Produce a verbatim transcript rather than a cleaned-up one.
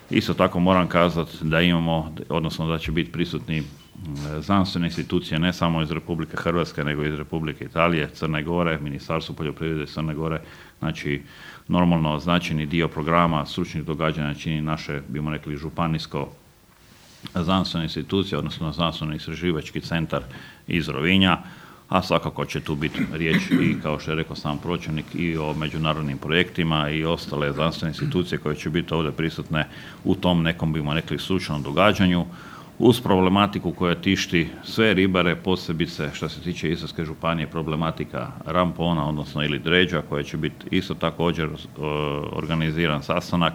Isto tako moram kazati da imamo, odnosno da će biti prisutni znanstvene institucije ne samo iz Republike Hrvatske, nego iz Republike Italije, Crne Gore, Ministarstvo poljoprivrede Crne Gore. Znači, normalno značajni dio programa stručnih događanja čini naše, bimo rekli, županijsko znanstvene institucije, odnosno znanstveno istraživački centar iz Rovinja, a svakako će tu biti riječ i, kao što je rekao sam pročelnik, i o međunarodnim projektima i ostale znanstvene institucije koje će biti ovdje prisutne u tom nekom, bimo rekli, stručnom događanju, uz problematiku koja tišti sve ribare, posebice što se tiče Istarske županije, problematika rampona, odnosno ili dređa, koja će biti isto također organiziran sastanak